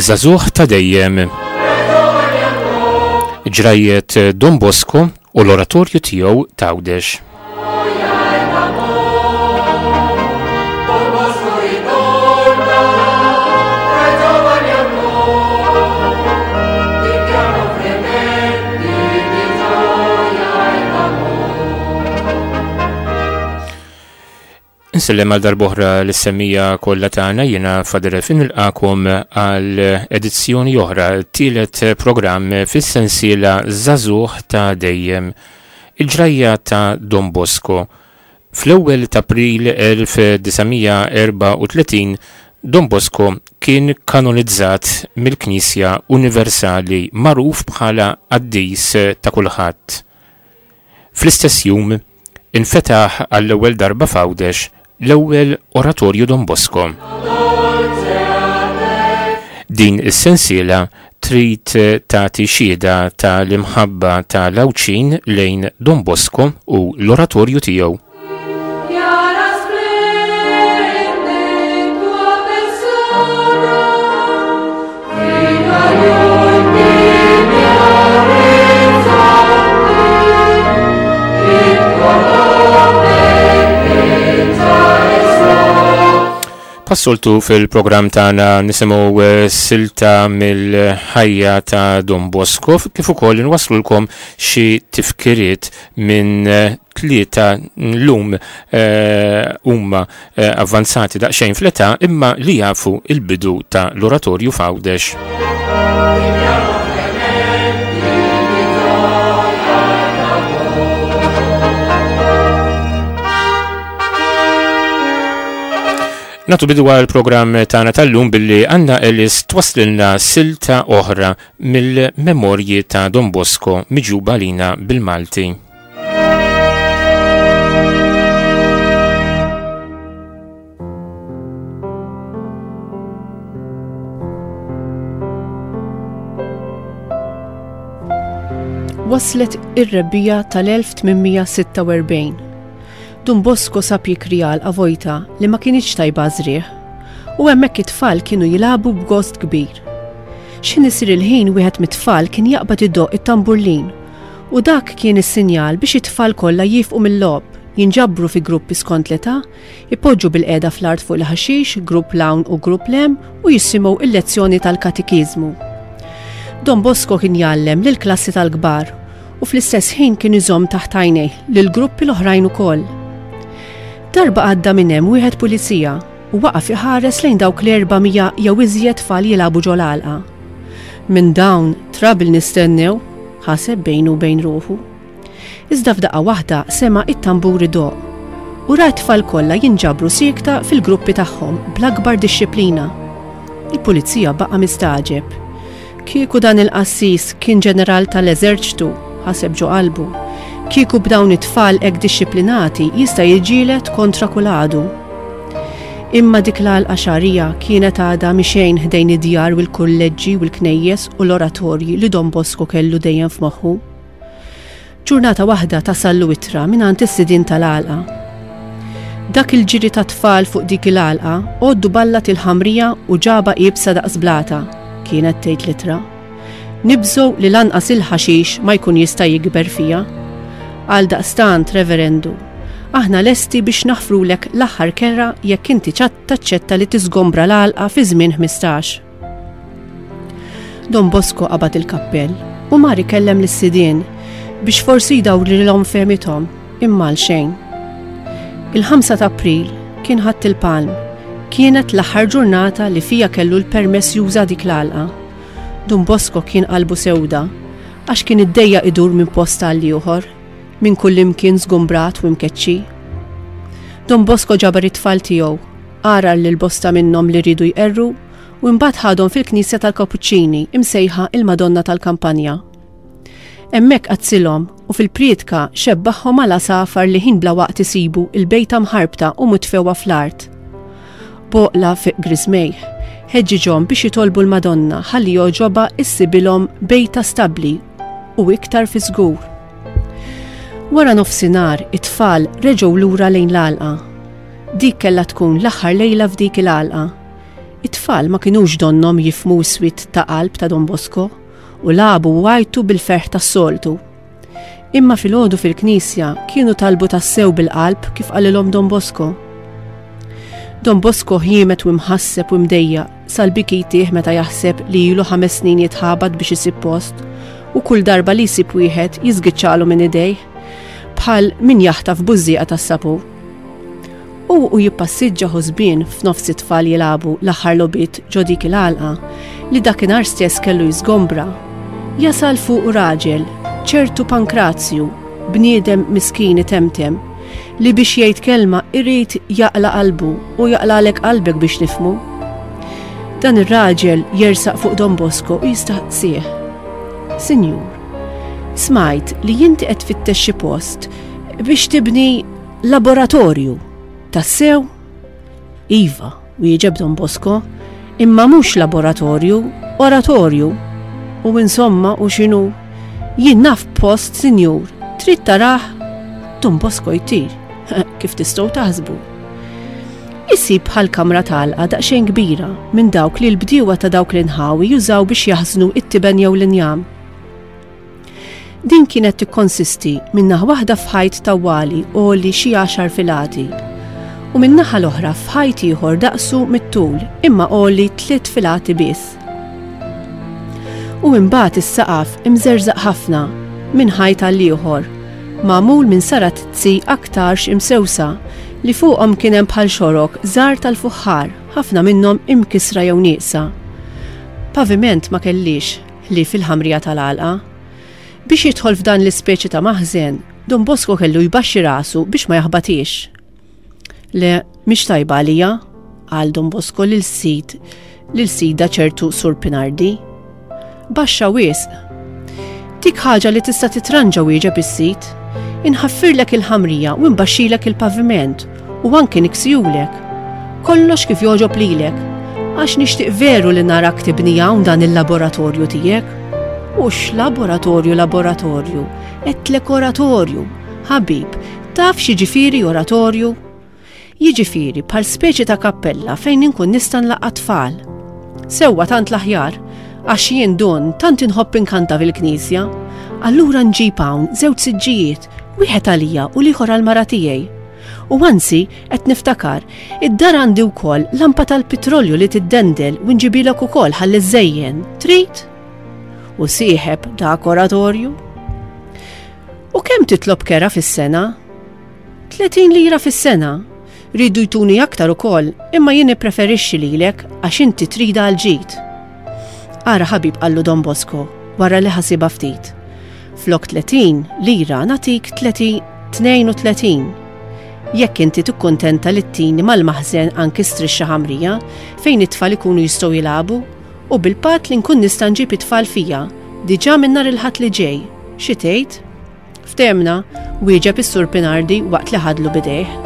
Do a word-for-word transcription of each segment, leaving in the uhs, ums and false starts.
Żagħżugħ ta' dejjem. Ġrajiet Don Bosco u l-oratorju tiegħu t'Għawdex. Insellem għal darb'oħra lis-semmiegħa kollha tagħna, jiena Father Elfin nilqakom għal edizzjoni oħra, tielet programm fis-sensiela Żagħżugħ ta' dejjem, il-ġrajja ta' Don Bosco. Fl-ewwel ta' April elf disa' mija erbgħa u tletin, Don Bosco kien kanonizzat mill-Knisja Universali magħruf bħala qaddis ta' kulħadd. Fl-istess jum infetaħ għall-ewwel darba f'Għawdex l-ewwel oratorju Don Bosco. Din is-sensiela trid tagħti xhieda tal-imħabba tal-Għawdxin lejn Don Bosco u l-oratorju tiegħu. Passoltu fil-programm tagħna nisimgħu, eh, silta mill-ħajja ta' Don Bosco, kif ukoll inwasslulkom xi tifkiriet minn, eh, tlieta llum, eh, huma, eh, avvanzati daqsxejn fl-età imma li jafu il-bidu ta' l-oratorju f'Għawdex. Natu bidu għal programm tagħna tal-lum billi Anna Ellis twaslilna silta oħra mill-memorji ta' Don Bosco miġuba lina bil-Malti. Waslet ir-rebbiegħa tal-elf tmien mija sitta u erbgħin. Don Bosco sab jikri għalqa vojta li ma kienx tajba żrieħ, u hemmhekk it-tfal kienu jilagħbu b'gost kbir. X'ħin isir il-ħin wieħed mit-tfal kien jaqbad idoqq it-tamburlin, u dak kien is-sinjal biex it-tfal kollha jifqu mill-logħob, jinġabru fi gruppi skont l-età, ipoġġu bil-qiegħda fl-art fuq il-ħaxix, grupp l-hawn u grupp l-hemm, u jisimgħu il-lezzjoni tal-katekiżmu. Don Bosco kien jgħallem lill-klassi tal-kbar u fl-istess ħin kien iżomm taħt għajnejh lill-gruppi l-oħrajn ukoll. Darba għadda minn hemm wieħed pulizija u waqaf iħares lejn dawk l-erba' mija jew iżjed tfal jilagħbu ġol-għalqa. Minn dawn trabil nistennew, ħaseb bejnu u bejn ruħu. Iżda f'daqqa waħda sema' it-tambur idoqq u ra t-tfal kollha jinġabru siekta fil-gruppi tagħhom bl-akbar dixxiplina. Il-pulizija baqa' mistagħġeb. Kieku dan il-qassis kien ġeneral tal-eżerċtu, ħaseb ġo qalbu. Kieku b'dawn it-tfal hekk dixxiplinati jista' jiġġieled kontra kull għadu. Imma dik l-għalqa xagħrija kienet għadha mixejn ħdejn id-djar u l-kulleġġi u l-knejjes u l-oratorji li Don Bosco kellu dejjem f'moħħu. Ġurnata waħda tasallu ittra mingħand is-sidien tal-għalqa. Dak il-ġiri ta' tfal fuq dik il-għalqa għoddu ballat il-ħamrija u ġaba iebsa daqs blata, kienet tgħid l-ittra. Nibżgħu li lanqas il-ħaxix ma jkun jista' jikber fija. Għal daqstant, reverendu, aħna lesti biex naħfrulek l-aħħar kerra jekk inti ċat-, taċċetta li tiżgombra l-għalqa fi żmien ħmistax. Don Bosco qabad il-kappell u mar ikellem lis-sidien biex forsi jdawrilhom fehmithom, imma għal xejn. Il-ħamsa ta' April kien Ħadd il-Palm, kienet l-aħħar ġurnata li fija kellu l-permess juża dik l-għalqa. Don Bosco kien qalbu sewda, għax kien iddejjaq idur minn post għal ieħor, minn kull imkien żgumbrat u mkeċċi. Don Bosco ġabar it-tfal tiegħu, għarar lil bosta minnhom li riedu jqerru u mbagħad ħadhom fil-Knisja tal-Kapuċċini imsejħa il-Madonna tal-Kampanja. Hemmhekk qazzilhom u fil-prietka xebbaħhom għal għasafar li ħin bla waqt isibu il-bejta mħarbta u mutfewwa fl-art. Boqla fi griżmejh, ħeġġiġhom biex jitolbu l-Madonna ħalli jogħġobha issibilhom bejta stabbli u iktar fi żgur. Wara nofsinhar it-tfal reġgħu lura lejn l-għalqa. Dik kellha tkun l-aħħar lejla f'dik il-għalqa. It-tfal It-tfal ma kinux donnhom jifhmu s-swied ta' qalb ta' Don Bosco u lagħbu u għajtu bil-ferħ tas-soltu. Imma filgħodu fil-knisja kienu talbu tassew bil-qalb kif qalilhom Don Bosco. Don Bosco ħiemet u mħasseb u mdejjaq sal-biki jtih meta jaħseb li ilu ħames snin jitħabat biex isib post u kull darba li jsib wieħed jiżgiċċalu minn idejh bħal min jaħtaf bużżieqa tas-sapun. U u jippassiġġa ħosbien f'nofs it-tfal jilagħbu l-aħħar logħbiet ġo dik il-għalqa li dakinhar stess kellu jiżgombra. Jasal fuq raġel, ċertu Pankrazju, bniedem miskin itemtem, li biex jgħid kelma irid jaqla' qalbu u jaqlalek qalbek biex nifhmu. Dan ir-raġel jersaq fuq Don Bosco u jistaqsih. Sinjur, smajt li inti qed tfittex xi post biex tibni laboratorju. Tassew? Iva, wieġeb Don Bosco, imma mhux laboratorju, oratorju. U insomma, u x'inhu? Jien naf post, sinjur, trid tarah? Don Bosco jtir, kif tistgħu taħsbu. Isib bħal kamra tal-għalqa daqsxejn kbira minn dawk li l-bdiewa ta' dawk l-inħawi jużaw biex jaħżnu it-tiben jew l-injam. Din kienet tikkonsisti minn naħa waħda f'ħajt tawwali għoli xi għaxar filati u minn naħa l-oħra f'ħajt ieħor daqsu mit-tul imma għoli tliet filati biss. U imbagħad is-saqaf imżerżaq ħafna minn ħajt għal ieħor, magħmul minn saratizzi aktarx imsewsa li fuqhom kien hemm bħal xorok żgħar tal-fuħħar, ħafna minnhom imkisra jew nieqsa. Paviment ma kellix li fil-ħamrija tal-għalqa. Biex jidħol f'dan l-ispeċi ta' maħżen, Don Bosco kellu jbaxxi rasu biex ma jaħbatix. Le, mhix tajba għalija, qal Don Bosco lil sid lil sida ċertu Sur Pinardi. Baxxa wisq. Dik ħaġa li tista' titranġa, wieġeb is-sid. Inħaffirlek il-ħamrija u nbaxxilek il-paviment u anki niksijulek. Kollox kif jogħġob lilek, għax nixtieq veru li narak tibni hawn dan il-laboratorju tiegħek. U x'laboratorju laboratorju, għedtlek oratorju. Ħabib, taf x'jiġifieri oratorju? Jiġifieri bħal speċi ta' kappella fejn inkun nista' nlaqqa' tfal. Sewwa tant l-aħjar, għax jien Dun tant inħobb inkanta fil-knisja. Allura nġib hawn żewġ siġġijiet, wieħed għalija u l-ieħor għall-mara tiegħi. U anzi, qed niftakar, id-dar għandi wkoll lampa tal-petrolju li tiddendel u nġibilek ukoll ħalli żejjen. Trid? U sieħeb dak oratorju. U kemm titlob kera fis-sena? Tletin lira fis-sena. Ridu jtuni aktar ukoll, imma jien nippreferixxi lilek għax inti trida għal ġid. Ara ħabib, qallu Don Bosco, wara li ħasibha ftit. Flok tletin lira nagħtik tnejn u tletin. Jekk inti tikkuntenta li ttini mal-maħżen anki strixxa ħamrija fejn it-tfal ikunu jistgħu jilagħbu u bil-patt li nkun nista' nġib it-tfal fija diġà minn nhar il-Ħadd li ġej. Xi tgħid? Ftehmna, wieġeb is-Sur Pinardi waqt li ħadlu bidejh.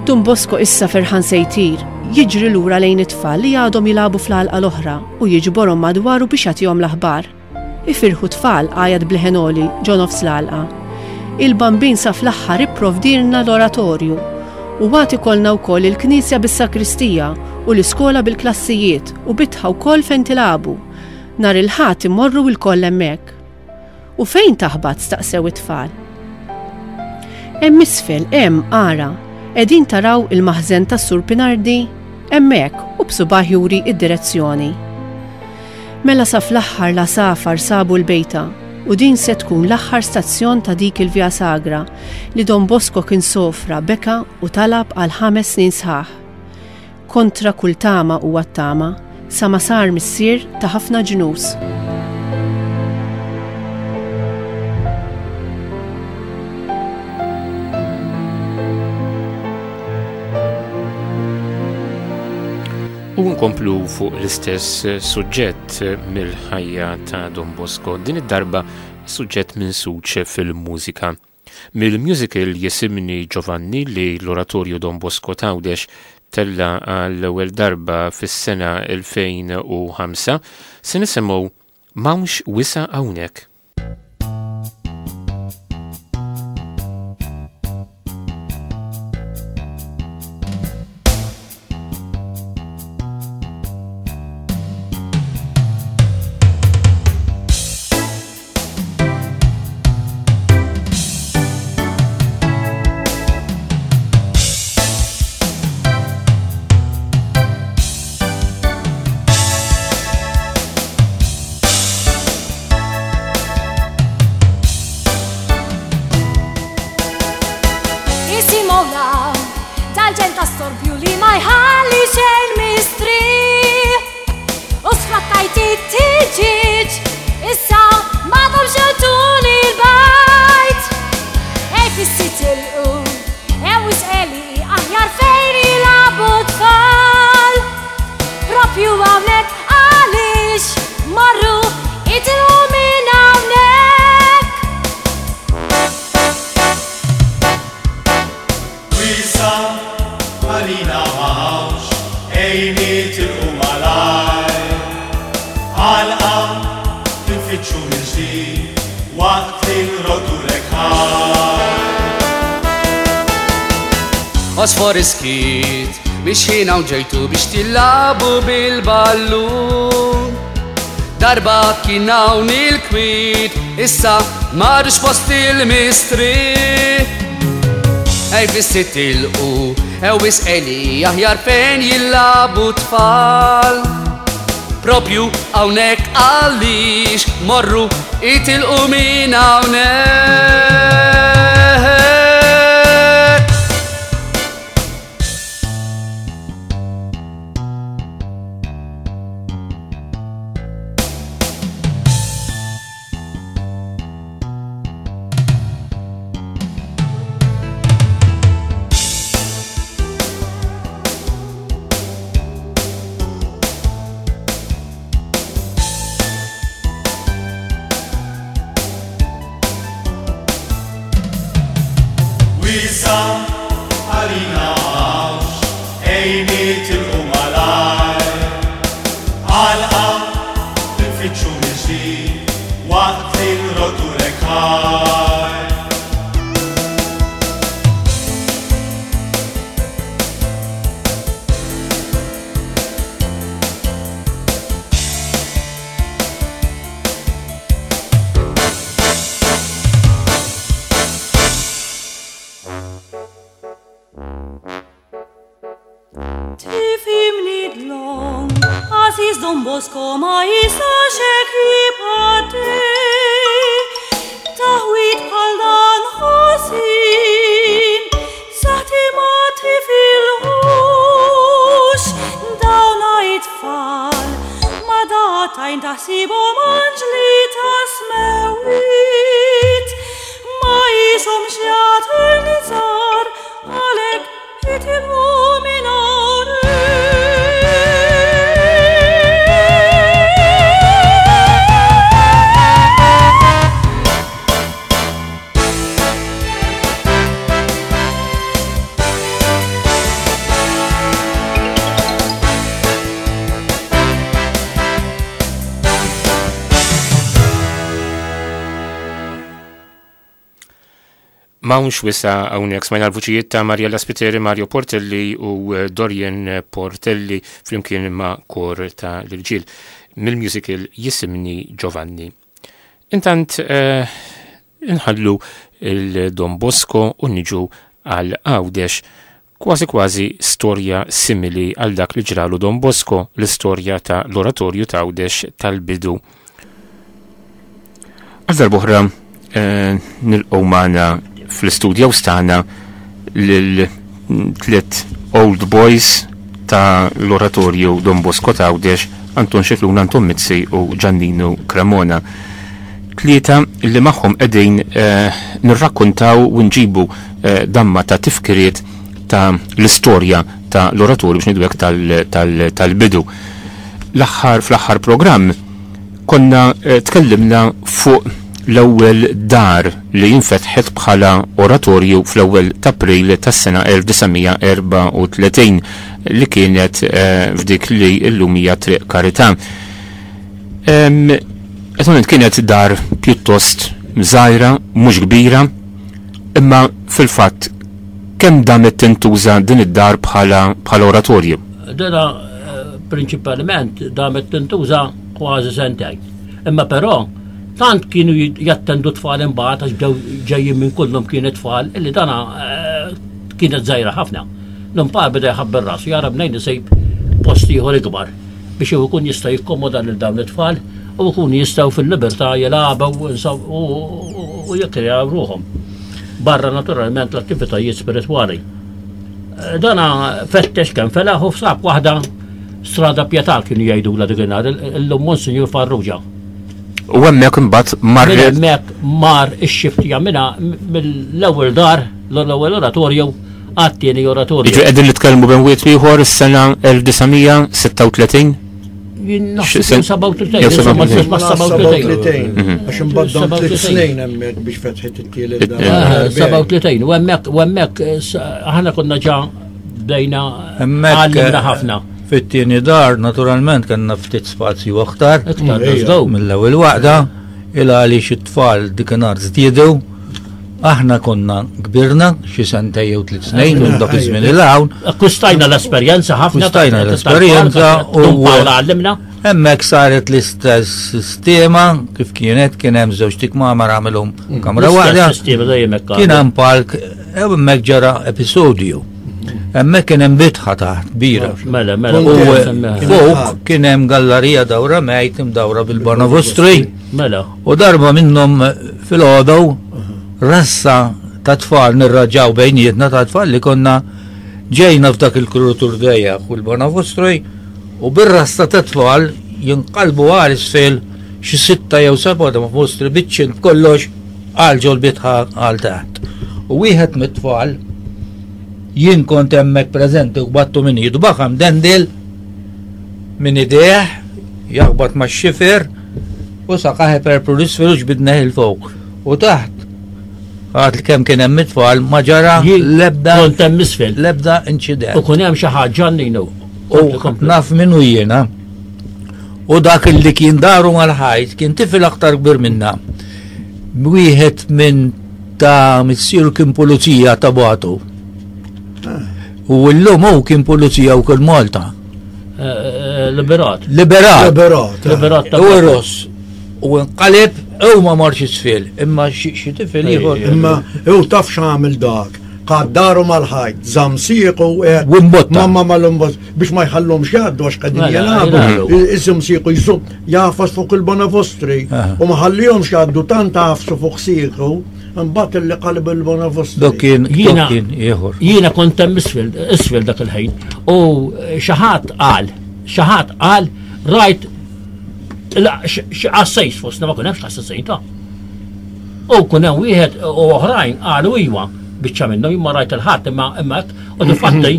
Don Bosco issa ferħan se jtir, jiġri lura lejn it-tfal li għadhom jilagħbu fl-għalqa l-oħra u jiġborhom madwaru biex jagħtihom l-aħbar. Ifirħu tfal, għajat b'leħen għoli ġo nofs l-għalqa. Il-Bambin sa fl-aħħar ipprovdilna l-oratorju u għad ikollna wkoll il-knisja bis-sakristija u l-iskola bil-klassijiet u bitħa wkoll fejn tilagħbu. Nhar il-Ħadd immorru lkoll hemmhekk. U fejn taħbat, staqsew it-tfal. Hemm isfel, hemm, ara, qegħdin taraw il-maħżen tas-Sur Pinardi? Hemmhekk, u b'subaħ juri id-direzzjoni. Mela sa fl-aħħar l-għasafar sabu l-bejta u din se tkun l-aħħar stazzjon ta' dik il-Via Sagra li Don Bosco kien sofra, beka u talab għal ħames snin sħaħ. Kontra kull tama u għat-tama, sa ma sar missier ta' ħafna ġnus. U nkomplu fuq l-istess suġġett mill-ħajja ta' Don Bosco, din id-darba suġġett minsuġ fil-mużika. Mill-musical Jisimni Giovanni li l-Oratorju Don Bosco t'Għawdex tella għall-ewwel darba fis-sena elfejn u ħamsa, se nisimgħu M'hawnx Wisa' Hawnhekk. Ejn nitilqu malajr, għalqa nfittxu mill-ġdid waqt li nroddulek ħajr. Għosfor iskiet, biex ħin hawn ġejtu biex tilagħbu bil-ballun. Darba kien hawn il-kwiet, issa m'għadux post il-mistrieħ. Ej fissi tilqu, ew isqeli aħjar fejn jilagħbu tfal. Propju hawnhekk għaliex morru itilqu minn hawnhekk. Wisa għalina għawx, ejn nitilqu malajr, għalqa nfittxu mill-ġdid waqt li nroddulek ħajr. Tifhimni dlonk, għażiż Don Bosco ma jistax hekk jibqa' Taħwid bħal dan ħażin, saħti ma tifilħux. Dawna it-tfal, ma datajn taħsibhom anġli ta' smewwiet. Ma jishomx jagħtu l-żgħar, għalhekk itilqu minn hawnhekk. M'hawnx wisa hawnhekk smajna l-vuċijiet ta' Mariella Spiteri, Mario Portelli u Dorian Portelli flimkien ma' kor ta' l-irġiel mill-musical Jisimni Giovanni. Intant, eh, inħallu il-Don Bosco u niġu għal Għawdex, kważi kważi storja simili għal dak li ġralu Don Bosco, l-istorja ta' l-oratorju ta' Għawdex tal-bidu. Għal darb'oħra, eh, nilqgħu magħna fl-istudju stana lil tliet old boys ta' l-oratorju Don Bosco ta' Għawdex, Anton Scicluna, Anton Mizzi u Giannino Cremona. Tlieta li magħhom qegħdin, eh, nirrakkontaw u nġibu, eh, damma ta' tifkiriet ta' l-istorja ta' l-oratorju biex ngħidu hekk tal-, tal-, tal-bidu. L-aħħar, fl-aħħar programm konna, eh, tkellimna fuq l-ewwel dar li jinfetħet bħala oratorju fl-ewwel ta' April tas-sena elf disa' mija erbgħa u tletin li kienet, eh, f'dik li llum hija Triq Karità. Em, Eżattament kienet dar pjuttost żgħira, mhux kbira, imma fil-fatt kemm damet tintuża din id-dar bħala, bħala oratorju? Dina, eh, prinċipalment damet tintuża kważi sentejn. Imma però tant kienu jit-, jattendu tfal imbagħad għax bdew ġejjin minn kullhom kien tfal illi dana, eh, kienet żgħira ħafna. L-impar beda jħabber rasu, jara bnejn isejb post ieħor ikbar biex hu jkun jista' jikkomoda lil dawn it-tfal u jkun jistgħu fil-libertà jilagħbu u, u, u, u jikkreaw ruħhom. Barra naturalment l-attivitajiet spiritwali. Eh, dana fettex kemm felaħ u f'sab waħda strada Pietà kienu jgħidulha dik in-nhar, illum Monsinjur Farrugia. U hemmhekk imbagħad mar Minn hemmhekk mar ix-xift jagħmilha mill-ewwel dar, l-ewwel oratorju għat-tieni oratorju. Jiġu qegħdin nitkellmu bejn wieħed ieħor is-sena elf disa' mija sitta u tletin? Jien naħseb Xi sen- seba' u tletin, Jew seba' u insomma, tletin. ma seba' u tletin. Seba' u tletin. Mhm. Għax imbagħad dam Seba' u tliet tletin. snin hemmhekk biex fetħet it-tielet dar. Eh, seba' u tletin, u hemmhekk, u hemmhekk, eh, s-, aħna konna ġa bdejna Hemmhekk, għallimna eh, ħafna. Fit-tieni dar, naturalment, kellna ftit spazju aktar. Iktar, Ejja. dażdaw. Mill-ewwel waħda, il għaliex it-tfal dikinhar żdiedu. Aħna konna kbirna xi sentej jew tliet snin minn dak iż-żmien il hawn. Akkustajna l-esperjenza ħafna. Akkustajna l-esperjenza u. u- Paola għallimna. Hemmhekk saret l-istess sistema kif kienet kien hemm żewġ tikmamar għamilhom kamra waħda. L-istess sistema dejjem hekk Kien hemm palk hemmhekk ġara episodju. Hemmhekk kien hemm bitħa taħt kbira. Mela, mela. U u- eh, fuq kien hemm gallerija dawra mejt imdawra bil-Banavostri. Mela. U darba minnhom fil-għodu rassa ta' tfal nirraġaw bejnietna ta' tfal li konna ġejna f'dak il-krutur dejjaq u l-Banavostri u bir-rassa ta' tfal jinqalbu għal isfel xi sitta jew seba' da mostri biċċin b'kollox għal ġol bitħa għal taħt. U wieħed mit-tfal jien kont hemmhekk preżenti u battu minn idu baħam dendil minn idejh jaħbat ma' xifer u saqaħ perpru l-isfel u ġbidna il fuq. U taħt għad li kemm kien hemm it-tfal ma ġara Jien l-ebda Kont hemm isfel. l-ebda inċident. U kun hemm xi ħaġa ninu. U naf minnu jiena. U dak li kien daru mal-ħajt kien tifel aktar kbir minna. Wieħed minn ta' missieru kien pulizija ta' Batu. U llum hu kien pulizija wkoll Malta. Liberat. Liberat. Liberat. Liberat ta' U Ross. U nqaleb u ma marx isfel, imma xi xi tifel ieħor. Imma u taf x'għamel dak. Qaddaru mal-ħajt, żamsiequ hekk. U mbotta. Mamma mal-imbott biex ma jħallhomx jgħaddu għax qegħdin Mela, jilagħbu. jilagħbu. Iżżum jżum jafas fuq il-Bonavostri Aha. u ma ħallihomx jgħaddu tant għafsu fuq siequ imbagħad illi qalb il-Bonavostri. Dok kien Jiena- dok kien ieħor. Jiena kont hemm isfel, isfel dak il-ħin. U xi ħadd qal, xi ħadd qal rajt la, xi qassejs fostna ma kun hemmx qassejn ta'. U kun hemm wieħed u oħrajn qalu iwa biċċa minnhom jien ma rajt il-ħadd imma imma hekk u difatti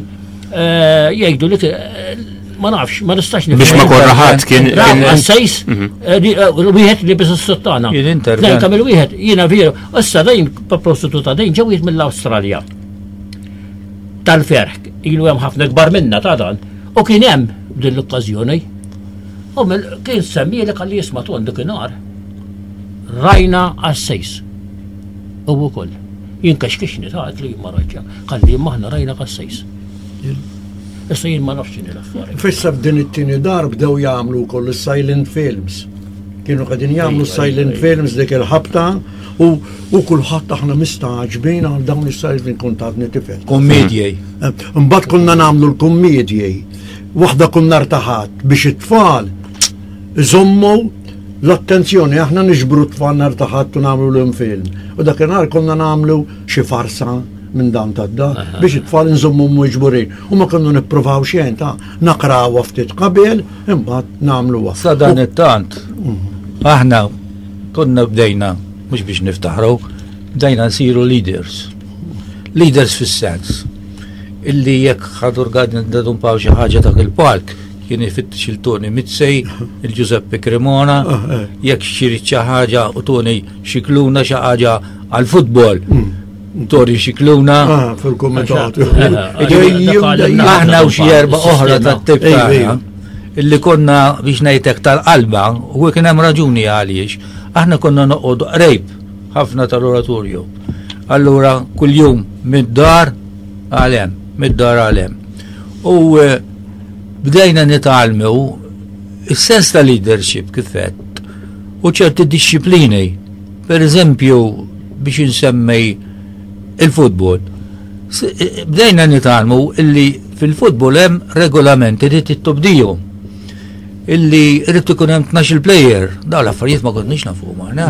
eh, jgħidu li eh, ma nafx, ma nistax nifhem. Biex ma korra ħadd kien Raw kien- qassejs, eh, li- eh, wieħed li biss is-sottana. Kien intervent. Lejn kamil wieħed, jiena veru, issa dejn prostituta dejn ġew wieħed mill-Awstralja. Tal-ferħ, ilu hemm ħafna kbar minna ta' dan. U kien hemm din l-okkażjoni. U mill- kien semmieli kalli jisma' ton dakinhar. Rajna qassejs. U wkoll. Jien kexkixni ta' għad li ma rajtx. Kalli maħna rajna qassejs. Issa jien ma nafx x'inhi l-affari. Fissa f'din it-tieni dar bdew jagħmlu wkoll is-silent films. Kienu qegħdin jagħmlu Ejwa, silent ejwa. films dik il-ħabta u u kulħadd aħna mistagħġbin għal dawn is-silent film kont għadni tifel. Kommedji. Mbagħad konna nagħmlu l-kummedji. Waħda konna rtaħat biex it-tfal iżommu l-attenzjoni, aħna niġbru t-tfal nhar ta' Ħadd u nagħmlu l film. U dakinhar konna nagħmlu xi farsa minn dan tad-dar biex it-tfal nżommu miġburin. U ma konna nippruvaw xejn ta' naqrawha ftit qabel, imbagħad nagħmluha. Sa dan it-tant, aħna konna bdejna, mhux biex niftaħru, bdejna nsiru leaders. Leaders fis-sens. Illi jekk ħadur għadni dadun paw xi ħaġa dak il-palk, kien ifittex il-Tony Mitsej, il-Giuseppe Cremona, jekk xirid xi ħaġa u Tony Xikluna xi ħaġa għal-futbol. Tony Xikluna, Ah, fil-kumitat. aħna u xi erba' oħra tat-tip Ejwa, tagħna ejwa. illi konna biex ngħidlek tal-qalba u kien hemm raġuni għaliex aħna konna noqogħdu qrejb ħafna tal-oratorju. Allura kuljum mid-dar għal hemm, mid-dar għal hemm. U eh, bdejna nitgħallmu is-sens ta' leadership kif għedt u ċerti disċiplini. Per eżempju, biex insemmej il-futbol. S- eh, Bdejna nitgħallmu illi fil-futbol hemm regolamenti li tittobdihom. Illi rrid ikun hemm tnax-il player, dawn l-affarijiet ma konniex nafuhom aħna.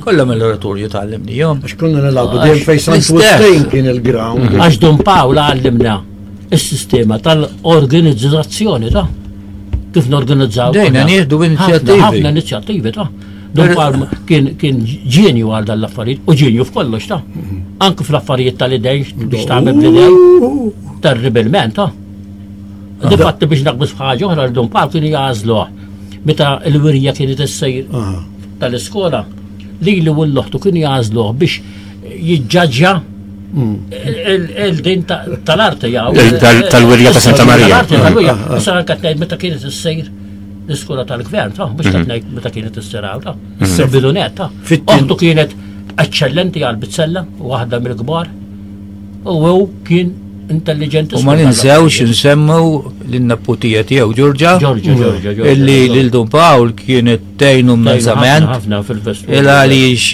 Kollha mill-oratorju tgħallimnihom. Għax konna nilagħbu dejjem fejn Sant L-istess. Wistin kien il-ground. Għax Dun Pawla għallimna il-sistema tal-organizzazzjoni ta' kif norganizzaw. Dejna aħna. nieħdu Ħafna- inizjattivi. Ħafna inizjattivi ta' Dun Per- Pawl kien kien ġenju għal dan l-affarijiet u ġenju f'kollox ta' anke fl-affarijiet tal-idejn biex tagħmel bl-idejn terribilment ta' Difatti biex naqbis f'ħaġa oħra li Dun Pawl kienu jagħżluh meta l-wirja kienet issejr Aha. tal-iskola li li u l-loħtu kienu jagħżluh biex jiġġaġġja Il-din tal-arti jaw. Tal-wirja ta' Santa Maria. Tal-wirja. Issa anke tgħid meta kienet issir l-iskola tal-gvern, ta' mhux qed ngħid meta kienet issir hawn, ta' bidunet, ta' Oħtu kienet eċċellenti għal bizzella, waħda mill-kbar, u hu kien intelligenti. U ma ninsewx nsemmu lin-neputija tiegħu Ġorġa. Ġorġa, Ġorġa, Ġorġa. Illi lil Dun Pawl kienet tgħinu immensament. Ħafna fil-vestwar. Il għaliex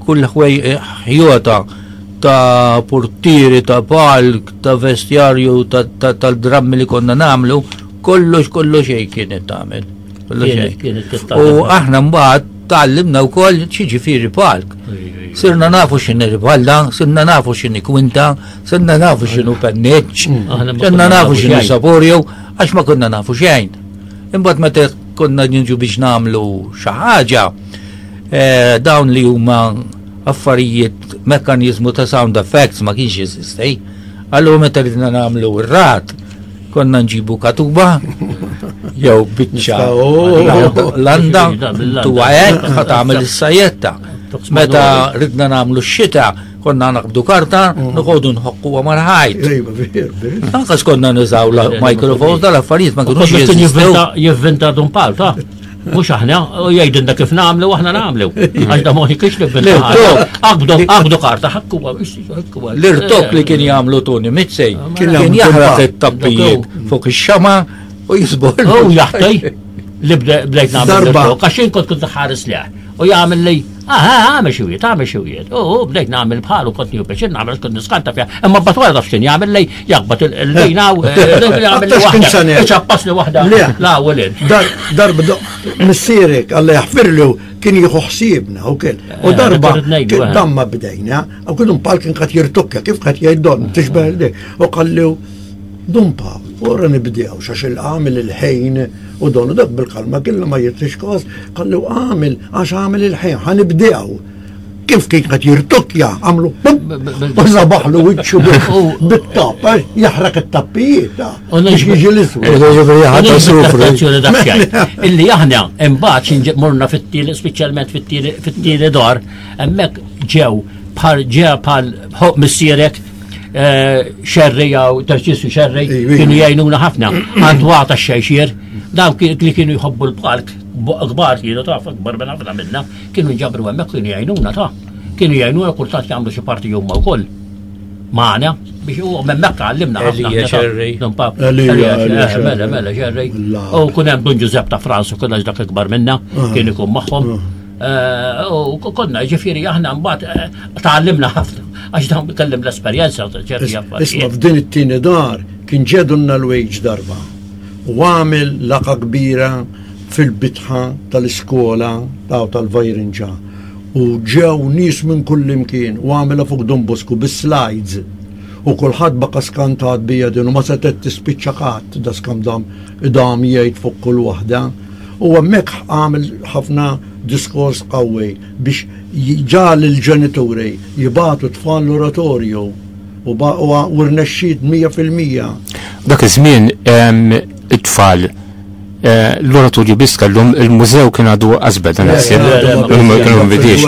kull ħjota ta' portieri, ta' palk, ta' vestjarju, tal-drammi li konna nagħmlu, kollox kollox xejn kienet tagħmel. Kollox xejn. U aħna mbagħad tgħallimna wkoll x'jiġifieri palk. Sirna nafu x'inhi riballa, sirna nafu x'inhi kwinta, sirna nafu x'inhu penneċ, sirna nafu x'inhu saporju, għax ma konna nafu xejn. Imbagħad meta konna niġu biex nagħmlu xi ħaġa, dawn li huma affarijiet mekkaniżmu ta' sound effects ma kienx jeżisti. Allura meta ridna nagħmlu r-rat, konna nġibu katuba, jew biċċa landa, tuwa hekk, ħa tagħmel is-sajjetta. Meta ridna nagħmlu x-xita, konna naqbdu karta, noqogħdu nħokkuha mal-ħajt. Anqas konna nużaw microphones dal-affarijiet ma kinux jeżistew. Jivvinta Dun Pawl, ta' mhux aħna, u jgħidilna kif nagħmlu u aħna nagħmlu. Għax da moħi kiex nivvinta. Aqbdu, aqbdu karta, ħakkuha, ħakkuha. L-irtok li kien jagħmlu Tony Mizzi kien jaħraq it-tappijiet fuq ix-xama u jisbor. U jaħti li bdejt nagħmel l-irtok, għax jien kont kont ħares leħ. U jagħmel li, ah, għamel xi wieħed, għamel xi wieħed. U bdejt nagħmel bħalu kont nieħu pjaċir nagħmel kont niskanta fiha. Imma mbagħad wara taf x'kien jagħmel li jaqbad il-lejna u jagħmel li waħda. Iċappas li waħda. La u lin. Darba missierek Alla jaħfirlu kien jieħu ħsiebna u kien. U darba damma bdejna, u kien pal kien qed jirtukka kif qed jgħid don tixbeh dik. U qallu Dun Pawl, ora nibdew xax il-għamil il-ħejn u don u dak bil-kalma kien ma jirtix kos, qallu għamil għax għamil il-ħejn, ħanibdew. Kif kien qed jirtukja, għamlu u żabaħlu wiċċu bit-tapp, jaħraq it-tappijiet, biex jiġi l-iswed. Illi aħna imbagħad morna fit-tieni, speċjalment fit-tieni dar, hemmhekk ġew bħal ġew bħal missierek Xerri jew Tarċisju Xerri kienu jgħinuna ħafna. Għandu għata xejxier, dawk li kienu jħobbu l-palk, kbar kienu taf, kbar minn ħafna minna, kienu nġabru hemmhekk kienu jgħinuna ta'. Kienu jgħinuna kultant jagħmlu xi parti huma wkoll. Magħna biex u hemmhekk għallimna ħafna. Elija Xerri. Mela, mela, Xerri. U kun hemm Dun Ġużepp ta' Franz u kollha dak ikbar minna, kien ikun magħhom. U konna ġifieri aħna mbagħad tgħallimna ħafna għax dawn kellim l-esperjenza ta' ċerti affarijiet. Isma' f'din it-tieni dar kien ġedunna l-wejġ darba u għamel laqgħa kbira fil-bitħa tal-iskola taw tal-Vajrinġa u ġew nies minn kull imkien u għamilha fuq Don Bosco bis-slides u kulħadd baqa' skantat bija din u ma setgħet tispiċċa qatt da skam dam idam jgħid fuq kull waħda. U hemmhekk għamel ħafna diskors qawwi biex ġal il-ġenituri jibatu tfal l-oratorju u rnexxiet mija fil-mija. Dak iż-żmien it-tfal l-oratorju biss kellhom il-mużew kien għadu qasbed naħseb. Kienu bidiex.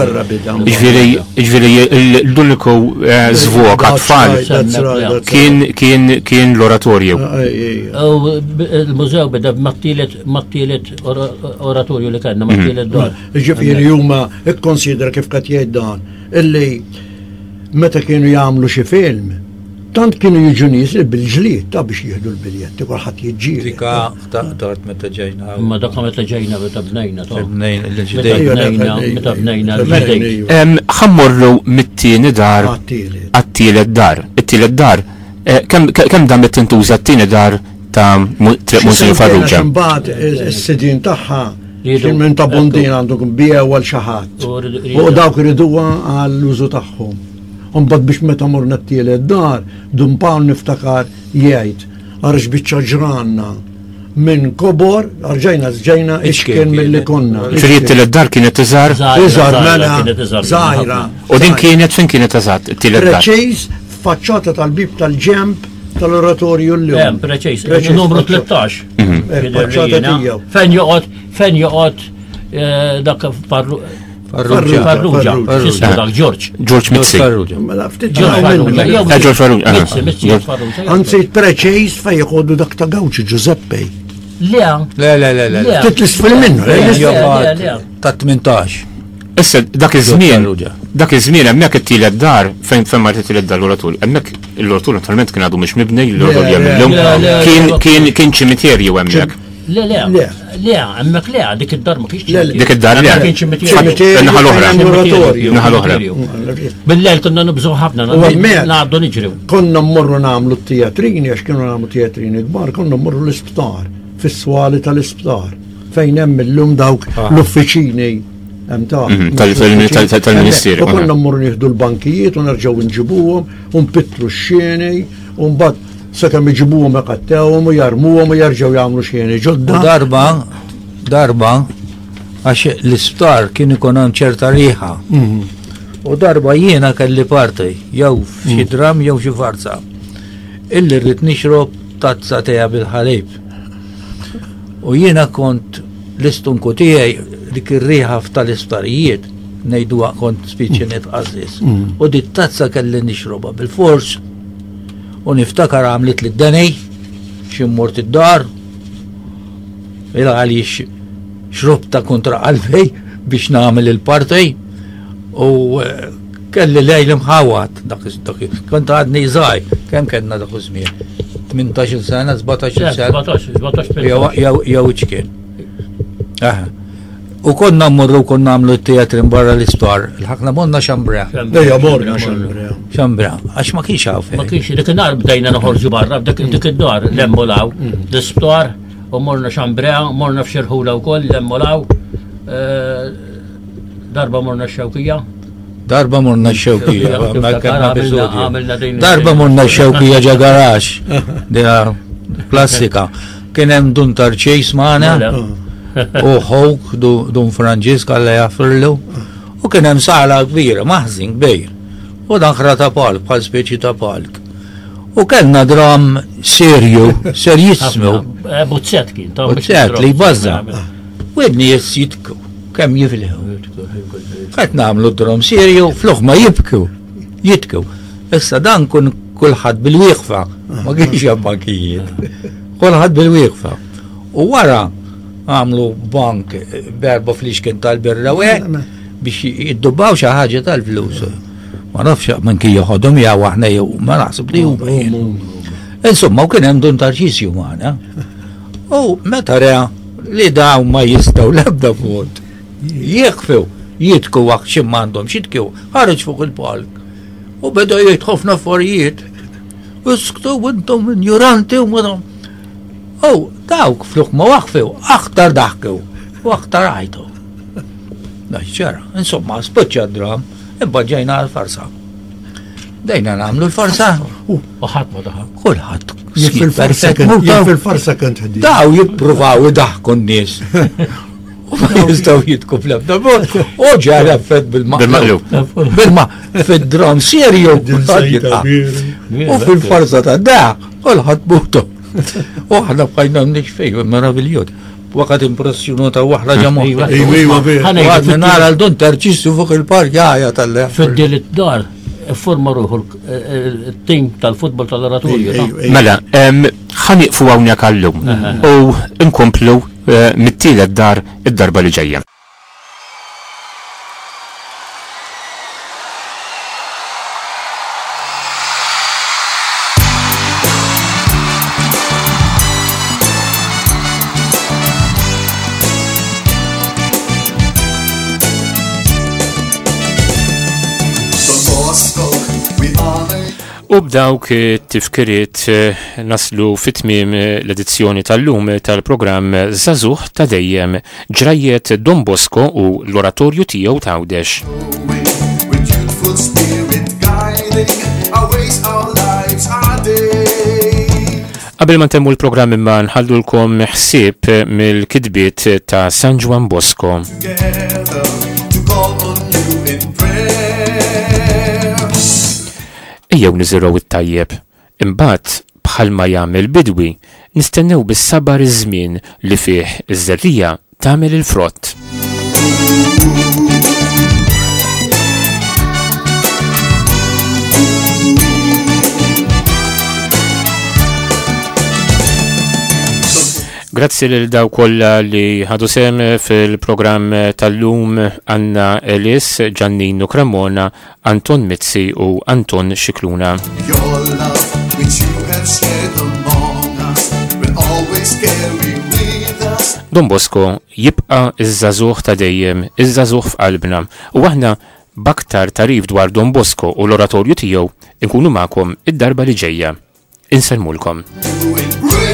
Jiġifieri jiġifieri l-uniku żvok għat-tfal kien kien kien l-oratorju. Il-mużew beda mat-tielet mat-tielet oratorju li kellna mat-tielet dar. Jiġifieri huma ikkonsidra kif qed jgħid dan illi meta kienu jagħmlu xi film tant kienu jiġu nies bil-ġlied ta' biex jieħdu l-biljetti, kulħadd jiġġieled. Dika taqtart meta ġejna. Imma dak meta ġejna meta bnejna ta' Bnejna l-ġdejt. Meta bnejna, meta bnejna l-ġdejt. Ħammorru mit-tieni dar għat-tielet dar. It-tielet dar, kemm damet tintuża t-tieni dar ta' Triq Monsinjur Farrugia? Imbagħad is-sidien tagħha kien minn ta' Bondin għandu biegħu għal xi ħadd. U dawk iriduha għall-użu tagħhom. Imbagħad biex meta morna t-tielet dar, Dun Pawl niftakar jgħid għarx biċċa ġranna minn kobor, rġajna ġejna iċkien milli konna. Ġifieri t-tielet dar kienet iżgħar? Iżgħar, mela, żgħira. U din kienet fejn kienet eżatt it-tielet dar? Preċiż faċċata tal-bib tal-ġemp tal-oratorju llum. Hemm preċiż, numru tlettax. Faċċata tiegħu. Fejn joqgħod, fejn joqgħod dak parru Farrugia. Farrugia. X'ismu dak Ġorġ. Ġorġ Mizzi. Farrugia. Mela ftit Ġorġ Farrugia. Jew Eh, Ġorġ Farrugia. Mizzi, Mizzi, Ġorġ Farrugia. Anzi, preċiż fej jħodu dak ta' Gawċi Giuseppe. Le. Le, le, le, le. Le. Ftit l-isfel minnu, Le, le, le, le, le. Ta' tmintax. Issa dak iż-żmien, Farrugia. dak iż-żmien hemmhekk it-tielet dar fejn fejn mar it-tielet dar l-oratorju. Hemmhekk l-oratorju naturalment kien għadu mhux mibni, l-oratorju Le, hemm illum. le, le, Kien le. kien kien ċimiterju hemmhekk. Le, le. Le. Le, hemmhekk le, dik id-dar ma kienx Le, le. Dik id-dar le. Kien ċimiterju. Ċimiterju Naħa l-oħra. fejn hemm l-oratorju. Naħa l-oħra. Bil-lejl konna nibżgħu ħafna, U hemmhekk- ngħaddu niġru. Konna mmorru nagħmlu t-teatrini, għax kienu nagħmlu teatrini kbar, konna mmorru l-isptar, fis-swali tal-isptar, fejn hemm illum dawk l-uffiċini hemm ta' Mhm, tal- tal- tal- tal- tal-Ministeru, U konna aha. mmorru nieħdu l-bankijiet u nerġgħu nġibuhom u npittru x-xeni u mbagħad sakemm iġibuhom iqattewhom u jarmuhom u jerġgħu jagħmlu xeni U ġodda. darba, darba, għax l-isptar kien ikun hemm ċerta riħa. U darba jiena kelli parti, jew f'xi dram jew xi farsa. Illi rrid nixrob tazza teja bil-ħalib. U jiena kont l-istunku tiegħi dik ir-riħa tal-isptarijiet ngħiduha kont spiċċi nitqażżis. U dit tazza kelli nixrobha bil-fors. U niftakar għamlet li d-deni, xi mmort id-dar, Ila għaliex xrobta kontra qalbi biex nagħmel il-parti u eh, kelli lejl imħawat dak iż- dak iż- kont għadni żgħir, kemm kellna dak iż-żmien? tmintax-il sena, sbatax-il sena. sbatax, sbatax, Jew jew jew iċkien. Aha. U konna mmorru konna nagħmlu t-teatrin barra l-isptar, il-ħakna morna xambra. Dejja morna xambra. Xambra, għax ma kienx hawn Ma fejn. kienx dik in-nar bdejna noħorġu barra, dik dik id-dar l-emmolaw, l-isptar, u morna xambrea, morna f'xirħula wkoll l-emmolaw. Eh, Darba morna x-xewkija. Darba morna x-xewkija, Xewkija, ma kellna għamilna- episodju. għamilna din- Darba morna x-xewkija ġa garax, dina klassika. Kien hemm Dun Tarċejs magħna Mela. u ħok Dun Franġisk Alla jaffirlu. U kien hemm sala kbira, maħżin kbir. U dan ħra ta' palk, bħal speċi ta' palk. U kellna dram serju, serjissmu. Eh, Buzzett kien. ta' Buzzett li jbażza. U n-nies jitku, kemm jifilħu. Qed nagħmlu drom serju, flok ma jibku, jitku. Issa dan kun kulħadd bil-wieqfa, ma kienx hemm bankijiet. Kulħadd bil-wieqfa. U wara għamlu bank eh, berba flixken tal-birra u hekk biex jiddubbaw xi ħaġa tal-flus. Ma nafx minn kien joħodhom jew aħna jew ma naħseb li huma jien. Insomma, u kien hemm Dun Tarċisju magħna. U meta ra li dawn ma jistgħu l-ebda mod jieqfu, jitku waqt xi m'għandhom xitkew, ħareġ fuq il-palk. U beda jgħid ħafna affarijiet. Isktu intom ignoranti u ma U dawk fluk ma waqfu, aktar daħkew u aktar għajtu. Da ċara, insomma, spiċċa d-dram, imma ġejna għal-farsa. Dejna nagħmlu l-farsa, U ħadd ma daħal. kulħadd. Jien fil-farsa Perfett, kont- muta. jien fil-farsa kont ħdin. Daw jippruvaw idaħku n-nies. U ma jistgħu jitku fl-ebda mod. U ġara effett bil-maqlub. Bil-maqlub. Bilma fid-dram serju. Din kulħadd sejta jilqa'. kbira. U fil-farsa ta' da, kulħadd butu. U aħna bqajna nixfej, meraviljuż. Waqgħet impressjonata waħla ġamma. Iva. Iva, iva, vera. Ħa ngħidu Għadni nara l-dun Tarċisju fuq il-park jaja tal-leħ. Fid-dil id-dar, forma ruħu il-tim tal-futbol tal-oratorju. ta' Ejwa, ejwa. Mela, em, ħa nieqfu hawnhekk għallum u nkomplu eh, mit-tielet dar id-darba li ġejja. Don Bosco, we honor U b'dawk it-tifkiriet eh, naslu fit-tmiem eh, l-edizzjoni tal-lum eh, tal-programm Żagħżugħ ta' dejjem ġrajjet Don Bosco u l-oratorju tiegħu t'Għawdex. you with youthful spirit guiding our ways, our lives, our days. Qabel ma ntemmu l-programm imma nħallulkom ħsieb mill-kitbiet ta' San Juan Bosco. Together to call on you in prayer. Ejjew niżirgħu it-tajjeb. Imbagħad bħalma jagħmel bidwi, nistennew bis-sabar iż-żmien li fih iż-żerrija tagħmel il-frott. Ooh, Grazzi lil daw kollha li ħadu sem fil-programm tal-lum Anna Ellis, Giannino Cremona, Anton Mizzi u Anton Scicluna. Your love, which you have shared among us, will always carry with us. Don Bosco jibqa' iż-żagħżugħ ta' dejjem, iż-żagħżugħ f'qalbna u aħna b'aktar tagħrif dwar Don Bosco u l-oratorju tiegħu nkunu magħkom id-darba li ġejja. Insellmulkom. Doing great.